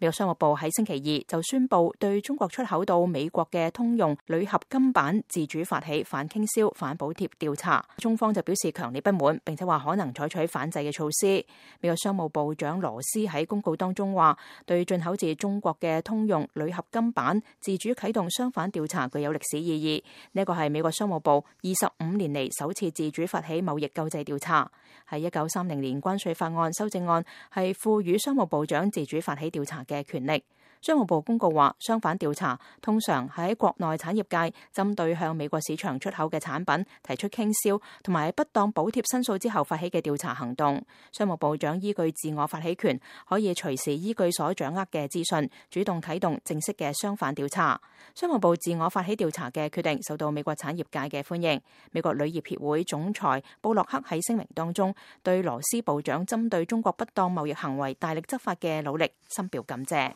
美國商務部喺星期二就宣布對中國出口到美國嘅通用鋁合金板自主發起反傾銷、反補貼調查，中方就表示強烈不滿，並且話可能採取反制嘅措施。美國商務部長羅斯喺公告當中話，對進口自中國嘅通用鋁合金板自主啟動相反調查具有歷史意義。呢個係美國商務部25年嚟首次自主發起貿易救濟調查。喺1930年關稅法案修正案係賦予商務部長自主發起調查嘅權力。商務部公告話，相反調查通常喺國內產業界針對向美國市場出口嘅產品提出傾銷同埋不當補貼申訴之後發起嘅調查行動。商務部長依據自我發起權，可以隨時依據所掌握嘅資訊，主動啟動正式嘅相反調查。商務部自我發起調查嘅決定受到美國產業界嘅歡迎。美國鋁業協會總裁布洛克喺聲明當中，對羅斯部長針對中國不當貿易行為大力執法嘅努力深表感謝。